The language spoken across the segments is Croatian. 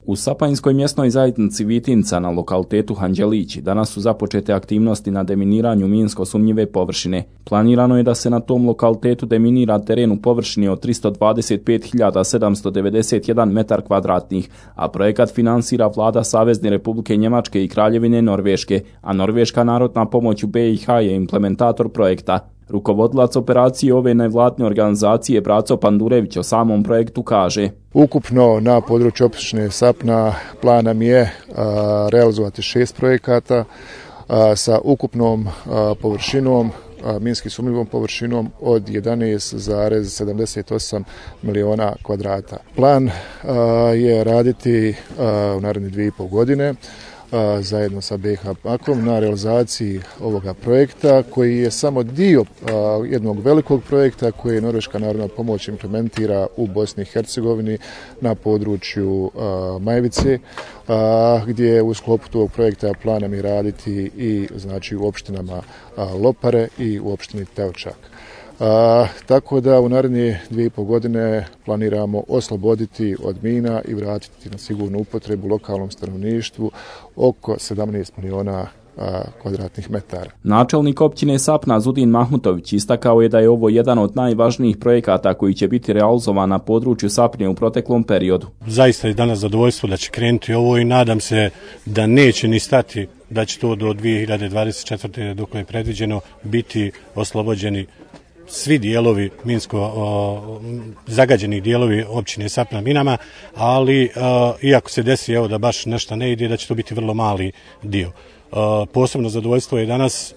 U Sapanjskoj mjesnoj zajednici Vitinca na lokalitetu Hanđelići danas su započete aktivnosti na deminiranju minsko sumnjive površine. Planirano je da se na tom lokalitetu deminira teren u površini od 325.791 metar kvadratnih, a projekat finansira vlada Savezne Republike Njemačke i Kraljevine Norveške, a Norveška narodna pomoć u BiH je implementator projekta. Rukovodilac operacije ove nevladne organizacije Braco Pandurević o samom projektu kaže: Ukupno na području opštine Sapna plan nam je realizovati 6 projekata sa ukupnom površinom, minski sumnjivom površinom od 11,78 miliona kvadrata. Plan je raditi u naredne 2,5 godine zajedno sa BiH bankom na realizaciji ovoga projekta koji je samo dio jednog velikog projekta koji je Norveška narodna pomoć implementira u Bosni i Hercegovini na području Majvice, gdje u sklopu tog projekta planom je raditi i znači u opštinama Lopare i u opštini Teočak. Tako da u naredne 2,5 godine planiramo osloboditi od mina i vratiti na sigurnu upotrebu lokalnom stanovništvu oko 17 miliona kvadratnih metara. Načelnik općine Sapna Zudin Mahmutović istakao je da je ovo jedan od najvažnijih projekata koji će biti realizovan na području Sapnje u proteklom periodu. Zaista je danas zadovoljstvo da će krenuti ovo i nadam se da neće ni stati, da će to do 2024. dok je predviđeno biti oslobođeni svi dijelovi minsko zagađeni dijelovi općine Sapna minama, ali iako se desi evo da baš nešto ne ide, da će to biti vrlo mali dio. Posebno zadovoljstvo je danas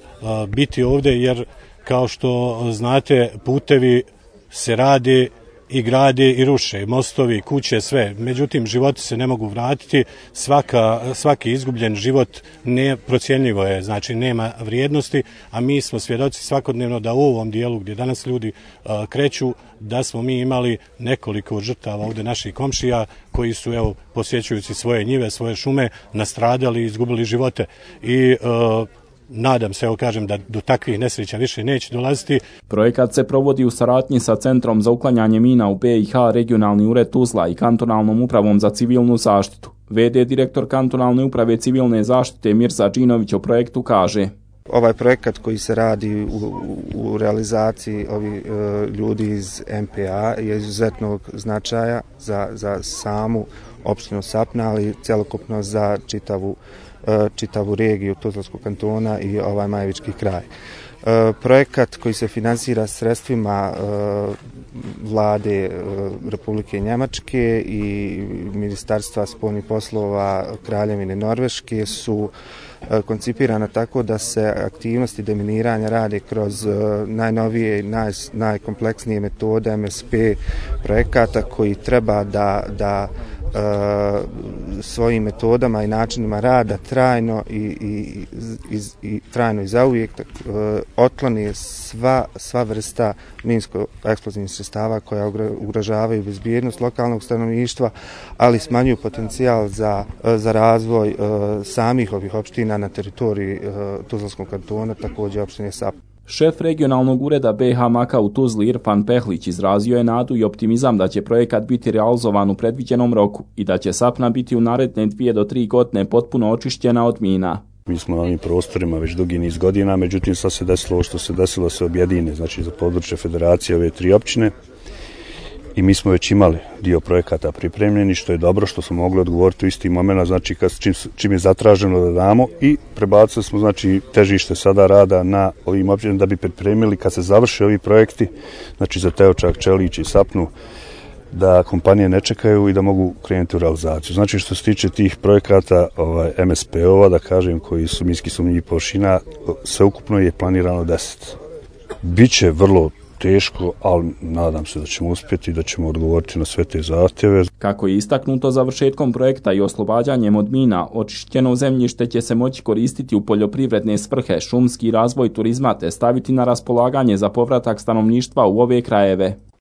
biti ovdje jer kao što znate putevi se rade i grade i ruše, mostovi, kuće, sve. Međutim, životi se ne mogu vratiti, svaki izgubljen život neprocjenljivo je, znači nema vrijednosti, a mi smo svjedoci svakodnevno da u ovom dijelu gdje danas ljudi kreću, da smo mi imali nekoliko žrtava ovdje naših komšija koji su, evo, posjećujući svoje njive, svoje šume, nastradali i izgubili živote. I nadam se, evo kažem, da do takvih nesreća više neće dolaziti. Projekat se provodi u saradnji sa Centrom za uklanjanje mina u BiH, Regionalni ured Tuzla i Kantonalnom upravom za civilnu zaštitu. V.d. direktor Kantonalne uprave civilne zaštite Mirza Džinović o projektu kaže: Ovaj projekat koji se radi u realizaciji ovih ljudi iz MPA je izuzetnog značaja za samu opštinu Sapna, ali celokupno za čitavu regiju Tuzlanskog kantona i ovaj Majvički kraj. Projekat koji se finansira sredstvima vlade Republike Njemačke i Ministarstva spoljnih poslova Kraljevine Norveške su koncipirana tako da se aktivnosti deminiranja rade kroz najnovije i najkompleksnije metode MSP projekata koji treba da svojim metodama i načinima rada trajno i trajno i zauvijek otkloni sva vrsta minsko-eksplozivnih sredstava koja ugrožavaju bezbjednost lokalnog stanovništva, ali smanjuju potencijal za razvoj samih ovih opština na teritoriji Tuzlanskog kantona, također opštine Sapna. Šef regionalnog ureda BiH Maka u Tuzli Irfan Pehlić izrazio je nadu i optimizam da će projekat biti realizovan u predviđenom roku i da će Sapna biti u naredne 2 do 3 godine potpuno očišćena od mina. Mi smo na ovim prostorima već dugi niz godina, međutim sad se desilo ovo što se desilo, se objedine, znači za područje federacije ove 3 općine. I mi smo već imali dio projekata pripremljeni, što je dobro, što smo mogli odgovoriti u isti moment, znači čim je zatraženo da damo, i prebacili smo znači težište sada rada na ovim općinama da bi pripremili kad se završe ovi projekti, znači za Teočak, Čelić i Sapnu, da kompanije ne čekaju i da mogu krenuti u realizaciju. Znači što se tiče tih projekata MSP-ova, da kažem, koji su minski sumnjivih površina, sveukupno je planirano 10. Biće vrlo teško, ali nadam se da ćemo uspjeti i da ćemo odgovoriti na sve te zahtjeve. Kako je istaknuto, završetkom projekta i oslobađanjem od mina, očišćeno zemljište će se moći koristiti u poljoprivredne svrhe, šumski razvoj turizma te staviti na raspolaganje za povratak stanovništva u ove krajeve.